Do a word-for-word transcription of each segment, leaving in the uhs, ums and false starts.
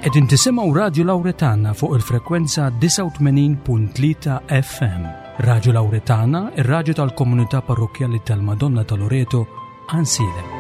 Qegħdin tisimgħu Radju Lawretana fuq il-frekwenza disgħa u tmenin punt tlieta F M. Radju Lawretana, ir-radju tal-Komunità Parrokkjali tal-Madonna ta' Loreto, Għajnsielem.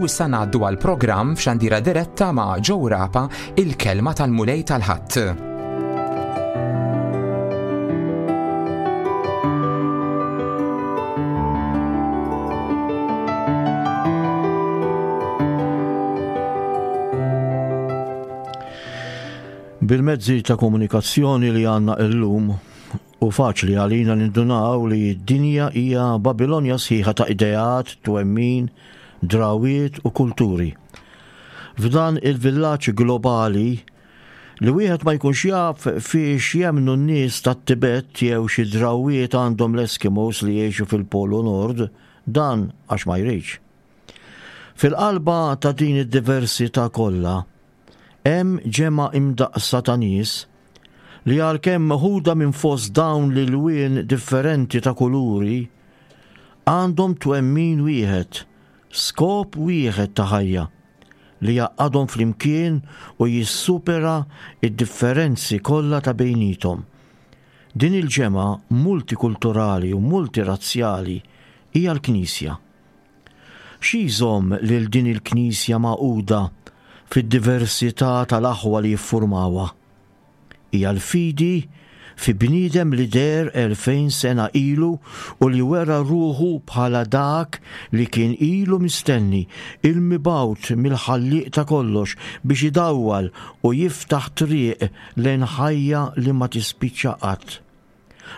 U issa ngħaddu għal programm f'xandira diretta ma' Joe Rapa, Il-Kelma tal-Mulej tal-Ħadd. Bil-mezzi ta' komunikazzjoni li għandna illum u faċli għalina nindunaw li d-dinja hija Babilonja sħiħa ta' ideat, twemmin, drawiet u kulturi. F'dan il-villaġġ globali li wieħed ma jkunx jaf fiex jemnu n-nies tat-Tibet jew xi drawiet għandhom l-Eskimos li jgħixu fil-Polu Nord, dan għax ma jridx. Fil-qalba ta' din id-diversità kollha, hemm ġemgħa imdaqsa ta' nies li, għalkemm meħuda minn fost dawn l-ilwien differenti ta' kuluri, għandhom twemmin wieħed, skop wieħed ta' ħajja li jgħaqqadhom flimkien u jissupera id-differenzi kollha ta' bejniethom. Din il-ġemgħa multikulturali u multirazzjali hija l-Knisja. Xi jżomm lil din il-Knisja magħquda fid-diversità tal-aħwa li jiffurmawha? Hija l-fidi fi bniedem li deher elfejn sena ilu u li wera ruħu bħala dak li kien ilu mistenni, il-mibgħut mill-Ħallieq ta' kollox biex idawwal u jiftaħ triq lejn ħajja li ma tispiċċa qatt.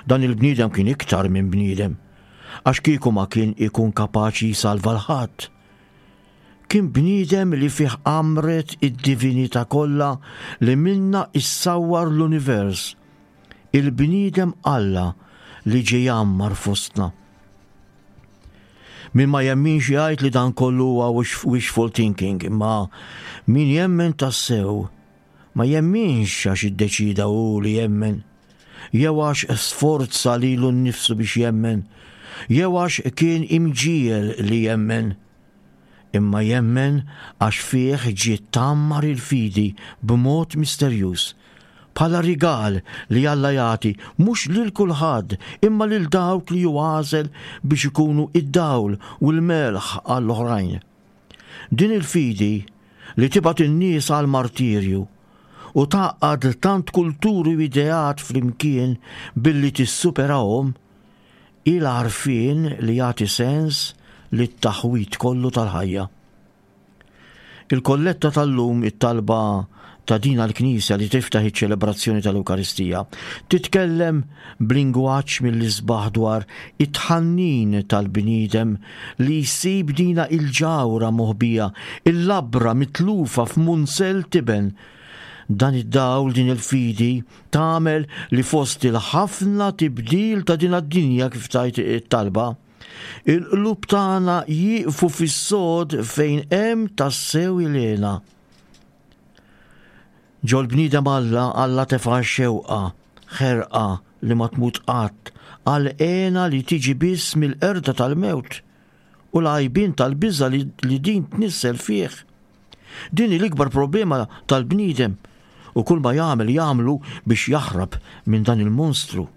Dan il-bniedem kien iktar minn bniedem, għax kieku ma kien ikun kapaċi jsalva 'l ħadd. Kien bniedem li fih għammret id-divinità kollha li minnha issawwar l-univers, il-bniedem Alla li ġie jgħammar fostna. Min ma jemminx jgħid li dan kollu huwa wishful thinking, imma min jemmen tassew ma jemminx għax iddeċida hu li jemmen, jew għax sforza lilu nnifsu biex jemmen, jew għax kien imġiegħel li jemmen, imma jemmen għax fih ġiet tgħammar il-fidi b'mod misterjuż bħala rigal li Alla jagħti mhux lil kulħadd, imma lil dawk li hu għażel biex ikunu id-dawl u l-melħ għall-oħrajn. Din il-fidi li tibgħat in-nies għal martirju u tgħaqqad tant kulturi u ideat flimkien billi tissuperahom, il-għarfien li jagħti sens lit-taħwit kollu tal-ħajja. Il-kolletta tal-lum, it-talba ta' din l-Knisja li tiftaħ iċ-ċelebrazzjoni tal-Ewkaristija, titkellem b'lingwaġġ mill-isbaħ dwar it-tħannin tal-bniedem li jsib dina il-ġawhra moħbija, il-labra mitlufa f'munzell tiben. Dan id-dawl, din il-fidi, tagħmel li fost il-ħafna tibdil ta' din id-dinja, kif tgħid it-talba, il-qlub tagħna jieqfu fis-sod fejn hemm tassew il-hena. Ġol-bniedem Alla, Alla tefa' xewqa, ħerqa li ma tmut qatt, għal hena li tiġi biss mill-qerda tal-mewt u l-għajbien tal-biża li, li din tnissel fih. Din l-ikbar problema tal-bniedem u kull ma jagħmel jagħmlu biex jaħrab minn dan il-monstru.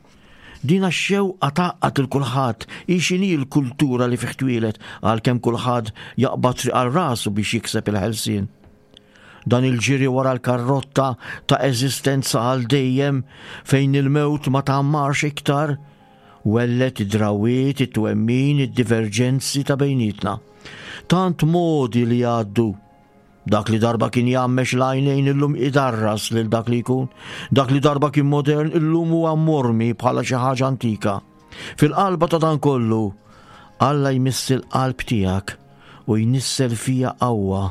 Din x-xewqa tgħaqqad lil kulħadd, hi x'inhi l-kultura li fih twieled, għalkemm kulħadd jaqbad triq għal rasu biex jikseb il-ħelsien. Dan il-ġiri wara l-karrotta ta' eżistenza għal dejjem fejn il-mewt ma tgħammarx iktar, Welled id-drawiet, it-twemmin, id-diverġenzi ta' bejnietna. Tant modi li għaddu. Dak li darba kien jgħammex l-għajnejn illum idarras lil dak li jkun. Dak li darba kien modern illum huwa mormi bħala xi ħaġa antika. Fil-qalba ta' dan kollu, Alla jmiss il-qalb tiegħek u jnissel fija qawwa,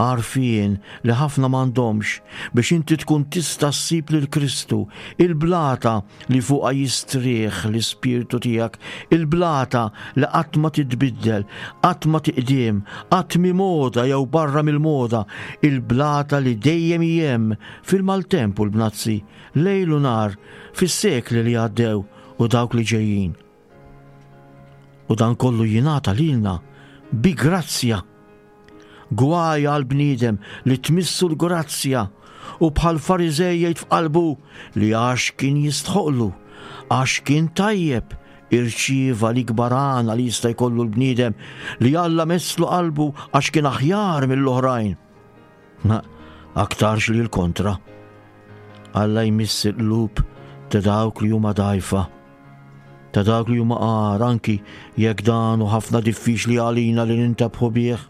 għarfien li ħafna m'għandhomx biex inti tkun tista' ssib lil Kristu, il-blata li fuqha jistrieħ l-ispirtu tiegħek, il-blata li qatt ma titbiddel, qatt ma tiqdiem, qatt mi moda jew barra mill-moda, il-blata li dejjem hi hemm fil-maltemp u l-bnazzi, lejl u nhar, fis-sekli li għaddew u dawk li ġejjin. U dan kollu jingħata lilna bi grazzja. Gwaj għal bniedem li tmissu l-grazzja u bħal Fariżej jgħid f'qalbu li għax kien jistħoqlu, għax kien tajjeb, irċieva l-ikbar għana li jista' jkollu l-bniedem, li Alla messlu qalbu għax kien aħjar mill-oħrajn. Ma aktarx li l-kontra. Alla jmiss il-qlub ta' dawk li huma dgħajfa, ta' dawk li huma qar, anki jekk dan hu ħafna diffiċli għalina li nintebħu bih.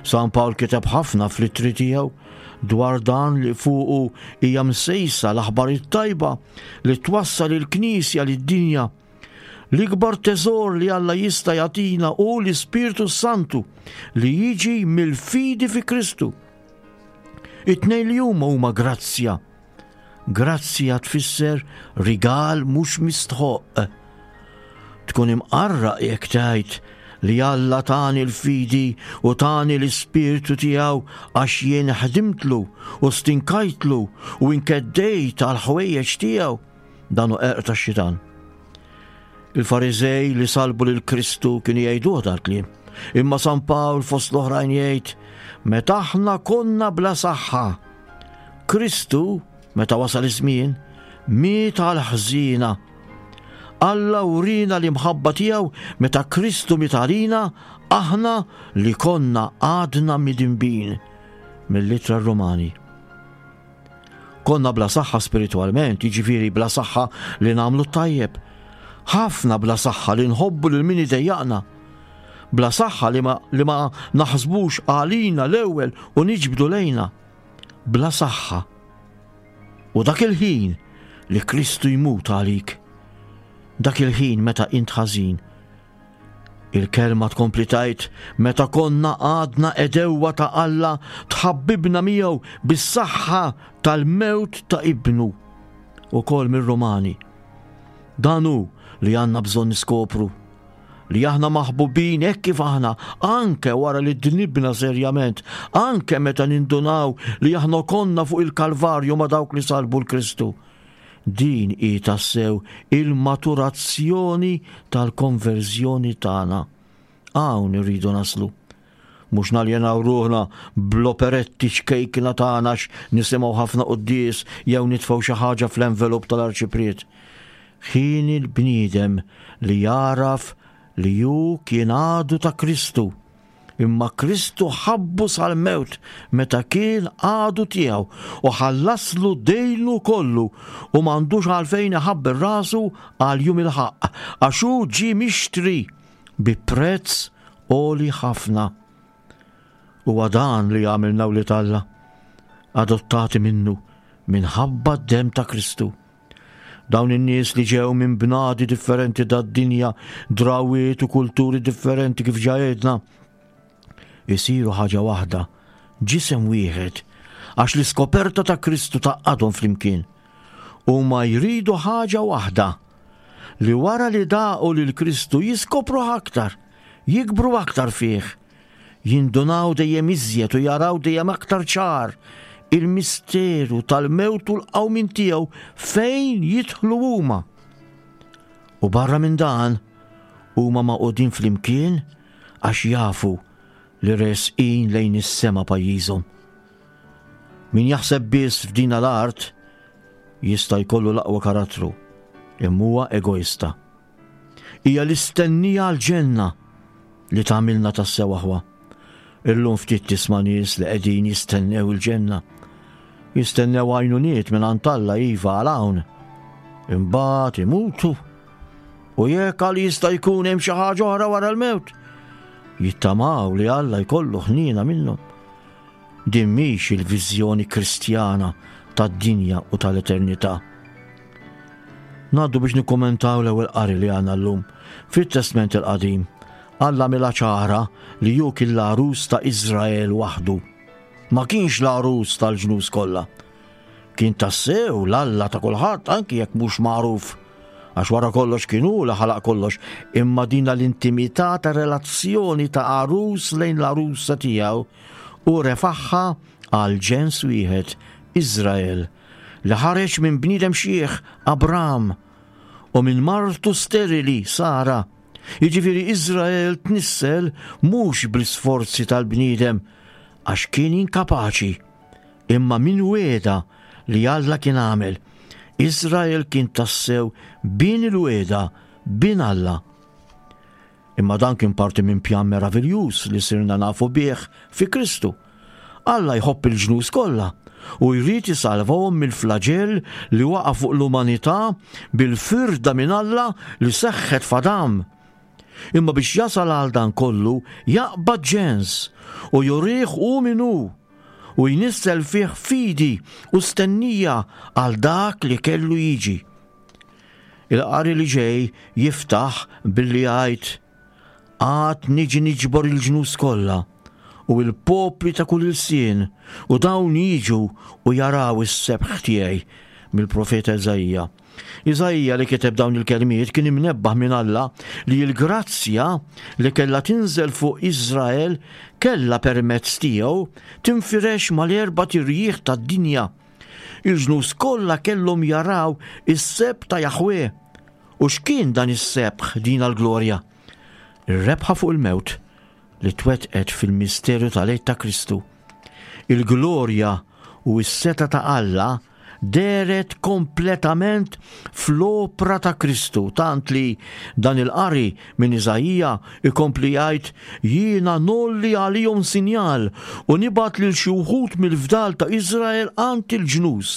San Pawl kiteb ħafna fl-ittri tiegħu dwar dan li fuqu hija msejsa l-aħbar it-tajba li twassal il-Knisja lid-dinja. L-ikbar teżor li Alla jista' jagħtina hu l-Ispirtu Santu li jiġi mill-fidi fi Kristu. It-tnejn li huma huma grazzja. Grazzja tfisser rigal mhux mistħoq. Tkun imqarraq jekk tgħid li Alla tani l-fidi u tani l-ispirtu tiegħu għax jien ħdimtlu u stinkajtlu u inkeddejt għal ħwejjeġ tiegħu. Dan hu qerq tax-xitan. Il-Fariżej li salbu lil Kristu kienu jgħiduh dal-kliem. Imma San Pawl fost l-oħrajn jgħid, meta aħna konna bla saħħa, Kristu, meta wasal iż-żmien, miet għal ħżiena. Alla urina l-imħabba tiegħu meta Kristu miet għalina, aħna li konna għadna midinbin. Mill-Ittra Romani. Konna bla saħħa spiritwalment, jiġifieri bla saħħa li nagħmlu t-tajjeb. Ħafna bla saħħa li nħobbu lil min idejjaqna. Bla saħħa li ma, li ma naħsbux għalina l-ewwel u niġbdu lejna. Bla saħħa. U dak il-ħin li Kristu jmut għalik, dak il-ħin meta int ħażin. Il-kelma tkompli tgħid, meta konna għadna edewwa ta' Alla, tħabbibna miegħu bis-saħħa tal-mewt ta' ibnu. Ukoll mir-Rumani. Dan hu li għandna bżonn niskopru, li aħna maħbubin hekk kif aħna, anke wara li dnibna serjament, anke meta nindunaw li aħna konna fuq il-Kalvarju ma' dawk li salbu l-Kristu. Din hi tassew il-maturazzjoni tal-konverżjoni tagħna. Hawn irridu naslu. Mhux naljenaw ruħna bl-operetti ċkejkna tagħna għax nisimgħu ħafna quddies jew nitfgħu xi ħaġa fl-envelop tal-arċipriet. Ħin il-bniedem li jaraf li hu kien għadu ta' Kristu, imma Kristu ħabbu sal-mewt meta kien għadu tiegħu u ħallaslu dejnu kollu u m'għandux għalfejn iħabber rasu għal jum il-ħaqq, għax hu ġie mixtri bi prezz għoli ħafna. Huwa dan li għamilna wlied Alla, adottati minnu minħabba d-demm ta' Kristu. Dawn in-nies li ġew minn bnadi differenti tad-dinja, drawiet u kulturi differenti kif ġa għedna, isiru ħaġa waħda, ġisem wieħed, għax l-iskoperta ta' Kristu tgħaqqadhom flimkien. Huma jridu ħaġa waħda, li wara li daqu lil Kristu jiskopru aktar, jikbru aktar fih, jindunaw dejjem iżjed u jaraw dejjem aktar ċar il-misteru tal-mewt u l-qawmien tiegħu fejn jidħlu huma. U barra minn dan, huma maqudin flimkien għax jafu li resqin lejn is-sema pajjiżhom. Min jaħseb biss f'din l-art jista' jkollu l-aqwa karattru, imma huwa egoista. Hija l-istennija għall-ġenna li tagħmilna tassew aħwa. Illum ftit tisma' nies li qegħdin jistennew il-ġenna. Jistennew għajnuniet minn għand Alla iva għal hawn. Imbagħad imutu U jekk għal jista' jkun hemm xi ħaġa oħra wara l-mewt, jittamaw li Alla jkollu ħniena minnhom. Din mhix il-viżjoni Kristjana tad-dinja u tal-eternità. Ngħaddu biex nikkommentaw l-ewwel qari li għandna llum fit-Testment il-Qadim. Alla għamilha ċara li hu kien l-għarus ta' Iżrael waħdu. Ma kienx l-għarus tal-ġnus kollha. Kien tassew l-Alla ta' kulħadd anki jekk mhux magħruf. Għax wara kollox kien hu li ħalaq kollox, imma dina l-intimità ta' relazzjoni ta' għarus lejn l-għarusa tiegħu u refaħħa għal ġens wieħed, Iżrael, li ħareġ minn bniedem xieħ Abram u minn martu sterili Sara. Jiġifieri Iżrael tnissel mhux bl-isforzi tal-bniedem għax kien inkapaċi, imma minn wegħda li Alla kien għamel. Iżrael kien tassew bin il-wegħda, bin Alla. Imma dan kien parti minn pjan meraviljuż li sirna nafu bih fi Kristu. Alla jħobb il-ġnus kollha u jrid isalvahom mill-flaġell li waqa' fuq l-umanità bil-firda minn Alla li seħħet f'Adam. Imma biex jasal għal dan kollu jaqbad ġens u jurih hu min hu u jnissel fih fidi u stennija għal dak li kellu jiġi. Il-qari li ġej jiftaħ billi jgħid: Għad niġi niġbor il-ġnus kollha u il-popli ta' kull ilsien, u dawn jiġu u jaraw is-sebħ tiegħi, mill-profeta Iżaija. Iżaija li kiteb dawn il-kelmiet kien imnebbaħ minn Alla li l-grazzja li kellha tinżel fuq Iżrael kellha permezz tiegħu tinfirex mal-erba' tirjieħ tad-dinja. Il-ġnus kollha kellhom jaraw is-sebħ ta' Jaħwe. U x'kien dan is-sebħ, din l-glorja? Ir-rebħa fuq il-mewt li twettqet fil-misteru tal-Għid ta' Kristu. Il-glorja u s-seta ta' Alla dehret kompletament fl-opra ta' Kristu, tant li dan il-qari minn Iżaija ikompli jgħid: Jiena nolli għalihom sinjal u nibgħat lil xi wħud mill-fdal ta' Iżrael għand il-ġnus.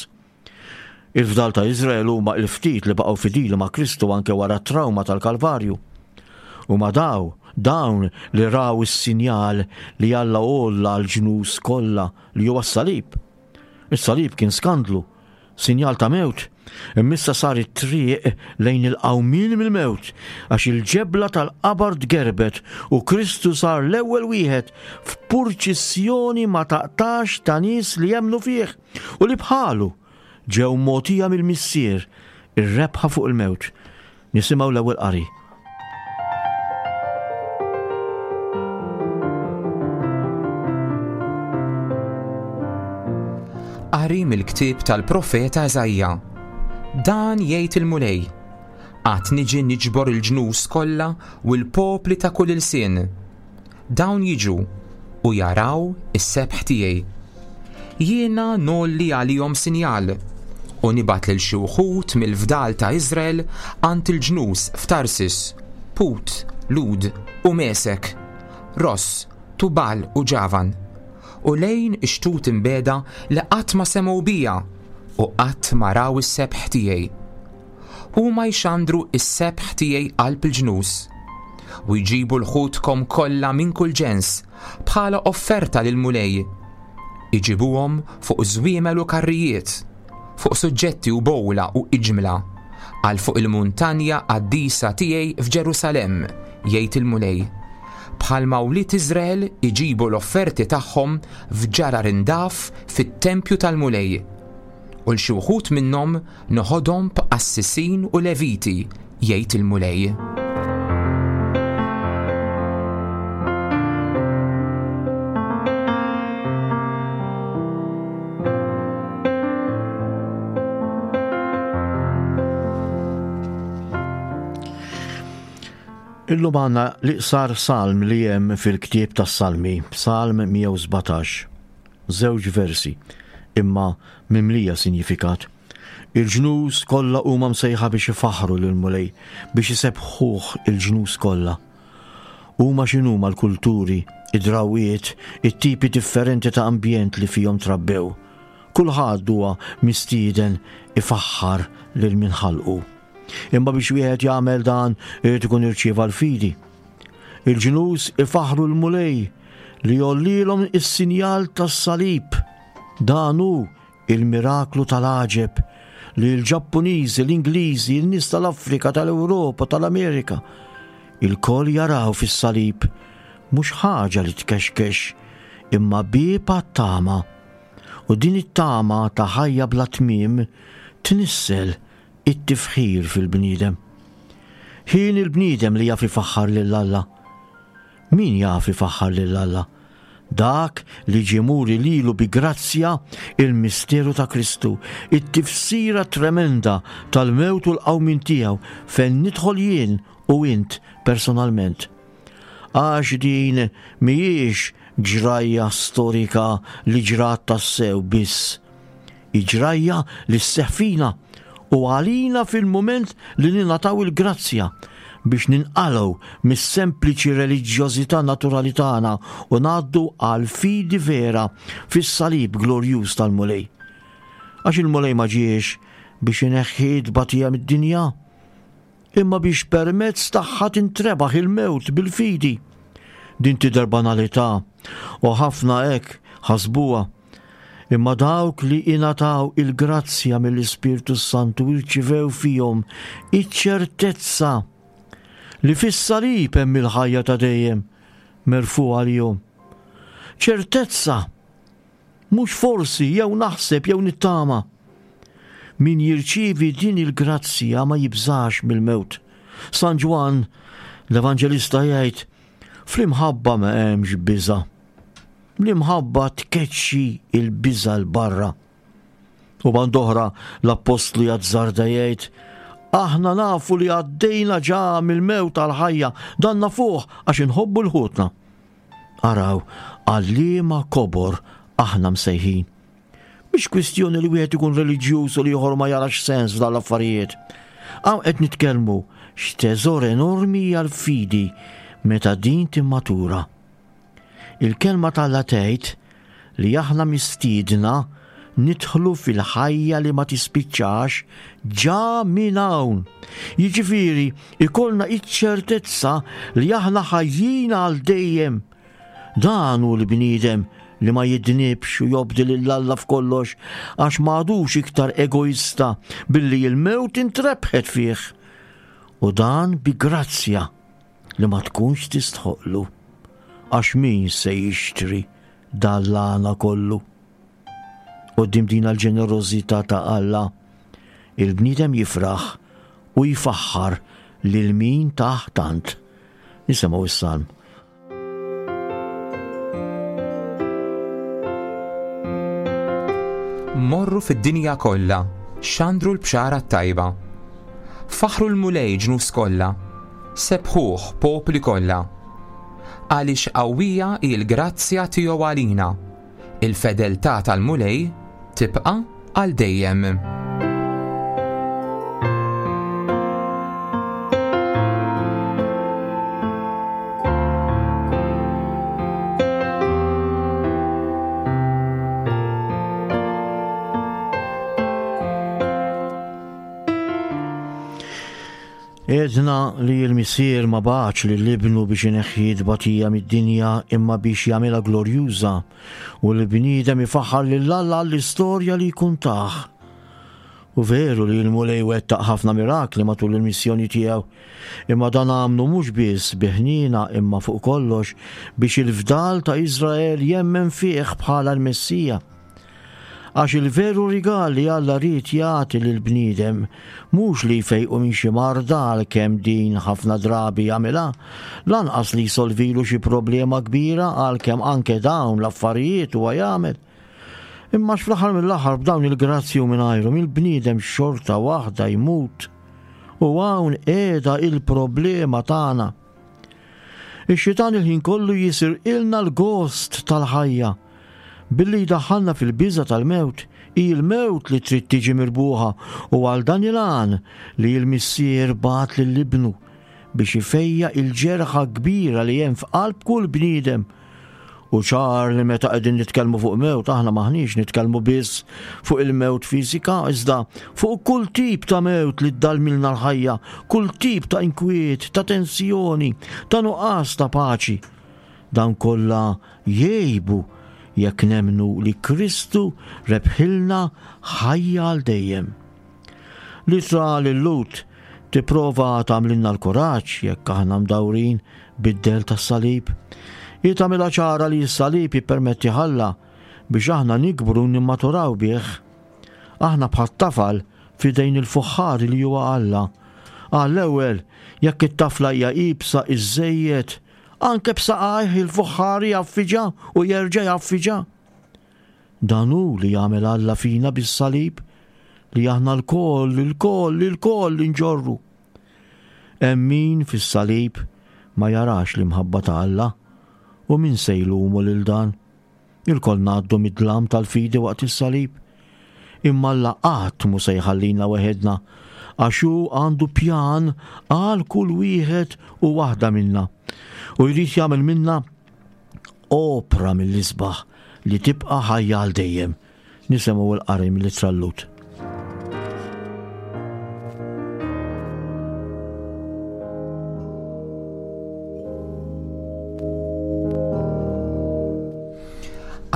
Il-fdal ta' Iżrael huma l-ftit li baqgħu fidili ma' Kristu anke wara t-trawma tal-Kalvarju. U ma daw, dawn li raw is-sinjal li Alla għolla għall-ġnus kollha li huwa s-salib. Is-salib kien skandlu, sinjal ta' mewt, imma issa sar it-triq lejn il-qawmien mill-mewt, għax il-ġebla tal-qabar tgerbet u Kristu sar l-ewwel wieħed f'purċissjoni ma taqtax ta' nies li jemmnu fih u li bħalu ġew mogħtija mill-Missier ir-rebħa fuq il-mewt. Nisimgħu l-ewwel qari. Qari mill-ktieb tal-profeta Iżaija. Dan jgħid il-Mulej: Għad niġi niġbor il-ġnus kollha u l-popli ta' kull ilsien. Dawn jiġu u jaraw is-sebħ tiegħi. Jiena nolli għalihom sinjal u nibgħat lil xi wħud mill-fdal ta' Iżrael għand il-ġnus f'Tarsis, Put, Lud u Mesek, Ross, Tubal u Ġavan, u lejn ix-xtut imbeda li qatt ma semgħu bija u qatt ma raw is-sebħ tiegħi. Huma jxandru is-sebħ tiegħi qalb il-ġnus u jġibu l-ħutkom kollha minn kull ġens bħala offerta lill-Mulej. Iġibuhom fuq żwiemel u karrijiet, fuq suġġetti u bowla u iġmla, għal fuq il-muntanja qaddisa tiegħi f'Ġerusalemm, jgħid il-Mulej. Bħalma wlied Iżrael iġibu l-offerti tagħhom f'ġarar indaf fit-tempju tal-Mulej. U l xi wħud minnhom noħodhom b'qassisin u leviti, jgħid il-Mulej. Illum għandna l-iqsar salm li hemm fil-ktieb tas-Salmi, Salm mija u sbatax, żewġ versi, imma mimlija sinjifikat. Il-ġnus kollha huma msejħa biex ifaħħru lill-Mulej, biex isebbħuh il-ġnus kollha. Huma x'inhuma l-kulturi, id-drawiet, it-tipi differenti ta' ambjent li fihom trabbew. Kulħadd huwa mistieden ifaħħar lil min ħalqu. Imma biex wieħed jagħmel dan irid ikun irċieva l-fidi. Il-ġnus ifaħru l-Mulej li jollilhom is-sinjal tas-salib. Dan hu il-miraklu tal-għaġeb li l-Ġappuniżi, l-Ingliżi, il-nies tal-Afrika, tal-Ewropa, tal-Amerika, ilkoll jaraw fis-salib mhux ħaġa li tkexkex imma bieb għat-tama. U din it-tama ta' ħajja bla tmiem tnissel it-tifħir fil-bniedem. Ħin il-bniedem li jaf ifaħħar lil Alla. Min jaf ifaħħar lil Alla? Dak li ġie muri lilu bi grazzja il-misteru ta' Kristu, it-tifsira tremenda tal-mewt u l-qawmien tiegħu fejn nidħol jien u int personalment. Għax din mhijiex ġrajja storika li ġrat tassew biss. Hi ġrajja li sseħħ fina u għalina fil-mument li ningħataw il-grazzja biex ninqalgħu mis-sempliċi reliġjożità naturali tagħna u ngħaddu għal fidi vera fis-salib glorjuż tal-Mulej. Għax il-Mulej ma ġiex biex ineħħi tbatija mid-dinja, imma biex permezz tagħha tintrebaħ il-mewt bil-fidi. Din tidher banalità u ħafna hekk ħasbuha. Imma dawk li ingħataw il-grazzja mill-Ispirtu Santu irċivew fihom iċ-ċertezza li fis-salib hemm il-ħajja ta' dejjem merfugħa għalihom. Ċertezza, mhux forsi jew naħseb jew nittama. Min jirċievi din il-grazzja ma jibżax mill-mewt. San Ġwann l-Evanġelista jgħid, fl-imħabba ma hemmx biża'. L-imħabba tkeċċi il-biża' 'l barra. U band'oħra l-Appostlu jazzarda jgħid, aħna nafu li għaddejna ġa mill-mewt għall-ħajja, dan nafuh għax inħobbu l-ħutna. Araw, għal-liema kobor aħna msejħin. Mhix kwistjoni li wieħed ikun reliġjuż u li ieħor ma jarax sens f'dan l-affarijiet. Hawn qed nitkellmu x'teżor enormi hija l-fidi meta din timmatura. Il-kelma t'Alla tgħid li aħna mistiedna nidħlu fil-ħajja li ma tispiċċax ġa minn hawn. Jiġifieri ikollna iċ-ċertezza li aħna ħajjin għal dejjem. Dan hu l-bniedem li ma jidnibx u jobdi lil Alla f'kollox għax m'għadux iktar egoista billi l-mewt intrebħet fih. U dan bi grazzja li ma tkunx tistħoqlu. Għax min se jixtri dan l-għana kollu? Quddiem din l-ġenerożità ta' Alla, il-bniedem jifraħ u jfaħħar lil min tah tant. Nisimgħu is-salm. Morru fid-dinja kollha, xandru l-bxara t-tajba. Faħru l-Mulej ġnus kollha, sebħuh popli kollha. Għaliex qawwija hi l-grazzja tiegħu għalina, il-fedeltà tal-Mulej tibqa' għal dejjem. Għedna li l-Missier ma bagħatx lil ibnu biex ineħħi tbatija mid-dinja imma biex jagħmilha glorjuża u l-bniedem ifaħħar lil Alla għall-istorja li jkun tah. U veru li l-Mulej wettaq ħafna mirakli matul il-missjoni tiegħu, imma dan għamlu mhux biss bi ħniena imma fuq kollox biex il-fdal ta' Iżrael jemmen fih bħala l-Messija. Għax il-veru rigal li Alla ried jagħti lill-bniedem mhux li jfejqu minn xi marda għalkemm din ħafna drabi jagħmilha, lanqas li jsolvilu xi problema kbira għalkemm anke dawn l-affarijiet huwa jagħmel. Imma fl-aħħar mill-aħħar b'dawn il-grazzji u mingħajrhom il-bniedem xorta waħda jmut. U hawn qiegħda il-problema tagħna. Ix-xitan il-ħin kollu jisirqilna l-gost tal-ħajja billi jdaħħalna fil-biża tal-mewt. Hi l-mewt li trid tiġi mirbuħa u għal dan il-għan li l-Missier bagħat lil ibnu biex ifejja il-ġerħa kbira li hemm f'qalb kull bniedem U ċar li meta qegħdin nitkellmu fuq mewt aħna maħniex nitkellmu biss fuq il-mewt fiżika, iżda fuq kull tip ta' mewt li ddalmilna l-ħajja, kull tip ta' inkwiet, ta' tensjoni, ta' nuqqas ta' paċi. Dan kollha jgħibu jekk nemmnu li Kristu rebħilna ħajja għal dejjem. L-ittra lil-Lhud tipprova tagħmlilna l-kuraġġ jekk aħna mdawrin bid-dell tas-salib. Hi tagħmilha ċara li s-salib jippermetti Alla biex aħna nikbru nimmaturaw bih. Aħna bħat-tafal f'idejn il-fuħħari li huwa Alla. Għall-ewwel, jekk it-tafla hija iebsa iżżejjed, anke b'saqajh il-fuħħari jgħaffiġha u jerġa' jgħaffiġha. Dan hu li jagħmel Alla fina bis-salib li aħna lkoll, ilkoll, ilkoll inġorru. Hemm min fis-salib ma jarax l-imħabba ta' Alla u min se jlumu lil dan? Ilkoll ngħaddu mid-dlam tal-fidi waqt is-salib. Imma Alla qatt mhu se jħallina weħedna għax hu għandu pjan għal kull wieħed u waħda minna. U jrid jagħmel minna opra mill-isbaħ li tibqa' ħajja għal dejjem. Nisimgħu l-qari mill-ittra lil-Lhud.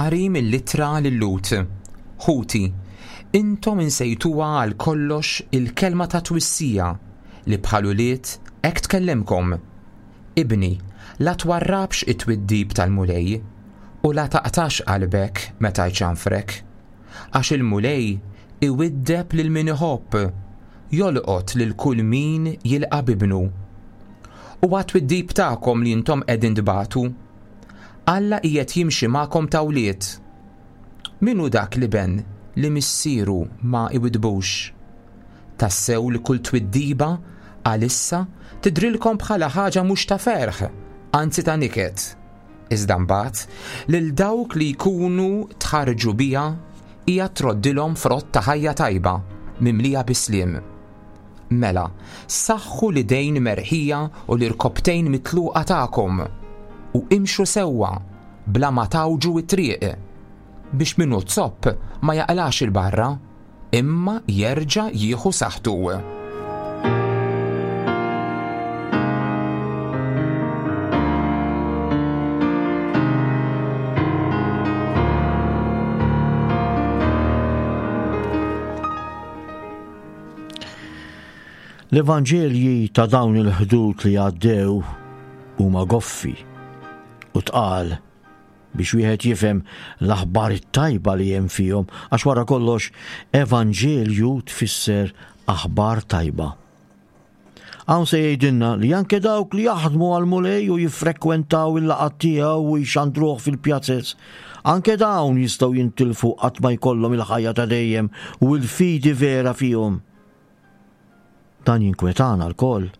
Qari mill-ittra lil-Lhud. Ħuti, intom insejtuha għal kollox il-kelma ta' twissija li bħal ulied hekk tkellimkom. Ibni, la twarrabx it-twiddib tal-Mulej u la taqtax qalbek meta jċanfrek. Għax il-Mulej iwiddeb lil min iħobb, jolqot lil kull min jilqa' b'ibnu. U għat-twiddib tagħkom li intom qegħdin tbatu, Alla qiegħed jimxi magħkom ta' wlied. Min hu dak l-iben li missieru ma iwidbux? Tassew li kull twiddiba għalissa tidrilkom bħala ħaġa mhux ta' ferħ, anzi ta' niket. Iżda mbagħad lil dawk li jkunu tħarġu biha hija troddilhom frott ta' ħajja tajba mimlija bisliem. Mela, saħħu l-idejn merħija u l-irkobtejn mitluqa tagħkom u imxu sewwa bla ma tawġu it-triq biex minnu zopp ma jaqlax il-barra imma jerġa' jieħu saħħtu. L-Evanġelji ta' dawn il-ħdud li għaddew huma goffi u tqal biex wieħed jifhem l-aħbar it-tajba li hemm fihom, għax wara kollox evanġelju tfisser aħbar tajba. Hawn se jgħidilna li anke dawk li jaħdmu għall-Mulej u jiffrekwentaw il-laqgħat tiegħu u jxandruh fil-pjazez, anke dawn jistgħu jintilfu qatt ma jkollhom il-ħajja ta' dejjem u l-fidi vera fihom. Dan jinkwetana lkoll.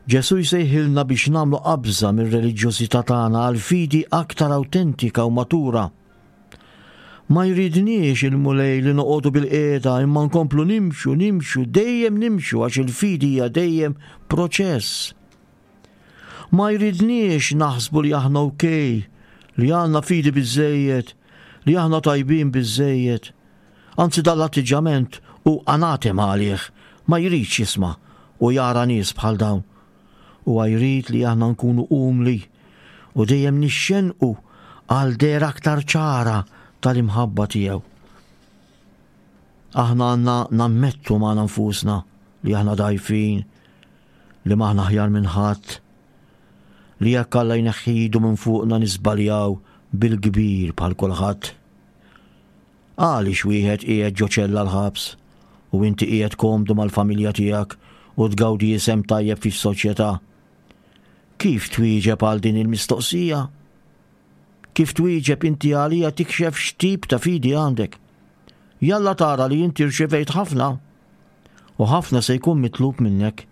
Ġesu jsejħilna biex nagħmlu qabża mir-reliġjożità tagħna għal fidi aktar awtentika u matura. Ma jridniex il-Mulej li noqogħdu bil-qiegħda imma nkomplu nimxu, nimxu, dejjem nimxu għax il-fidi hija dejjem proċess. Ma jridniex naħsbu li aħna okej, li għandna fidi biżżejjed, li aħna tajbin biżżejjed. Anzi dan l-atteġġjament hu anatema għalih, ma jridx jisma' u jara nies bħal dawn. U jrid li aħna nkunu umli u dejjem nixxenqu għal dehra aktar ċara tal-imħabba tiegħu. Aħna għandna nammettu magħna nfusna li aħna dgħajfin, li m'aħna aħjar minn ħadd, li jekk Alla jneħħi idu minn fuqna nisbaljaw bil-kbir bħal kulħadd. Għaliex wieħed qiegħed ġo ċella l-ħabs u inti qiegħed komdu mal-familja tiegħek u tgawdi isem tajjeb fis-soċjetà? Kif twieġeb għal din il-mistoqsija? Kif twieġeb inti għalija tikxef x'tip ta' fidi għandek? Jalla tara li inti rċevejt ħafna u ħafna se jkun mitlub minnek.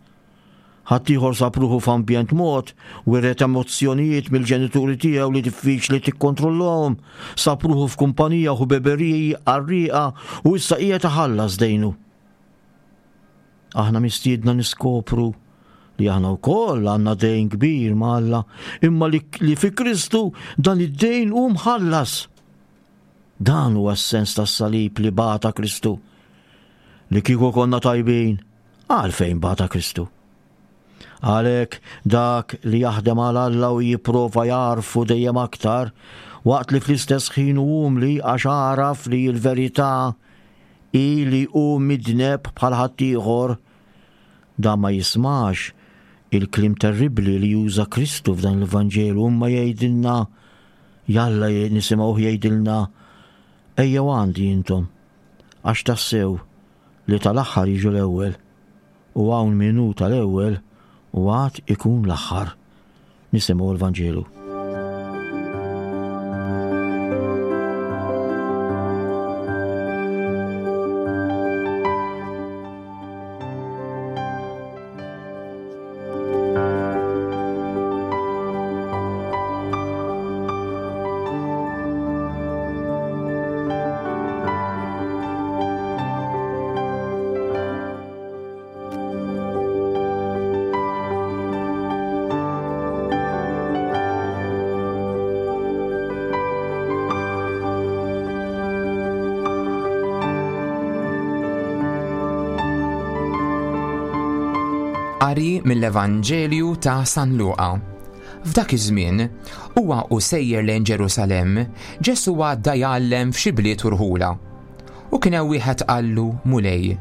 Ħaddieħor sab ruħu f'ambjent mod, wiret emozzjonijiet mill-ġenituri tiegħu li diffiċli tikkontrollahom, sab ruħu f'kumpanija u beberiji qarrieqa u issa qiegħed iħallas dejnu. Aħna mistiedna niskopru li aħna wkoll għandna dejn kbir ma' Alla, imma li, li fi Kristu dan id-dejn hu mħallas. Dan huwa s-sens tas-salib li bata Kristu. Li kieku konna tajbin, għalfejn bata Kristu. Għalhekk dak li jaħdem għal Alla u jipprova jagħrfu dejjem aktar, waqt li fl-istess ħin hu umli għax għaraf li l-verità hi li hu midneb bħal ħaddieħor, dan ma jismax il-kliem terribbli li juża Kristu f'dan l-Vanġelu, imma jgħidilna, jalla nisimgħuh jgħidilna, ejjew għandi intom, għax tassew li tal-aħħar jiġu l-ewwel, u hawn min hu tal-ewwel u għad ikun l-aħħar. Nisimgħu l-Vanġelu. Qari mill-Evanġelju ta' San Luqa. F'dak iż-żmien, huwa u sejjer lejn Ġerusalemm, Ġesù għadda jgħallem f'xi bliet u rħula. U kien hemm wieħed qallu, Mulej,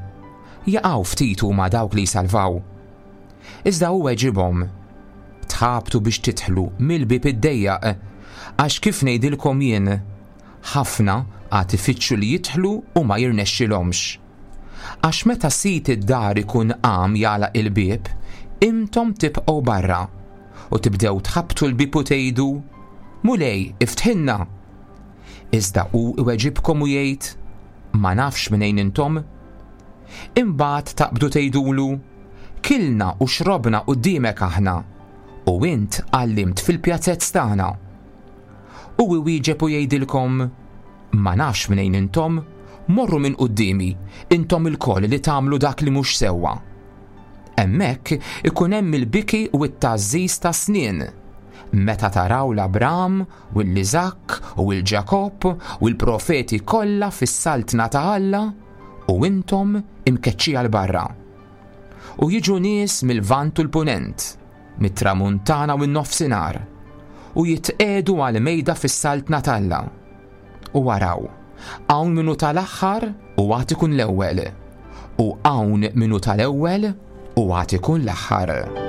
jaqgħu ftit huma dawk li jsalvaw. Iżda hu weġibhom, tħabtu biex tidħlu mill-bieb iddejjaq, għax kif ngħidilkom jien, ħafna għad ifittxu li jidħlu u ma jirnexxilhomx. Għax meta sid id-dar ikun qam jagħlaq il-bieb, intom tibqgħu barra u tibdew tħabtu l-bieb u tgħidu, Mulej, iftħilna. Iżda hu iweġibkom u jgħid, ma nafx minejn intom. Imbagħad taqbdu tgħidulu, kilna u xrobna quddiemek aħna, u int għallimt fil-pjazzezz tagħna. U iwieġeb u jgħidilkom, ma nafx minejn intom, morru minn quddiemi, intom ilkoll li tagħmlu dak li mhux sewwa. Hemmhekk ikun hemm il-biki u t-tgħażżiż ta' snien, meta taraw l-Abram u l-Iżakk u l-Ġakobb u l-profeti kollha fis-saltna ta' Alla u intom imkeċċija 'l barra. U jiġu nies mill-Lvant u l-Punent, mit-Tramuntana u n-Nofsinhar, u jitqiegħdu għal mejda fis-saltna t'Alla. U waraw, hawn min hu tal-aħħar u għad ikun l-ewwel, u hawn min hu tal-ewwel u għad ikun l-aħħar.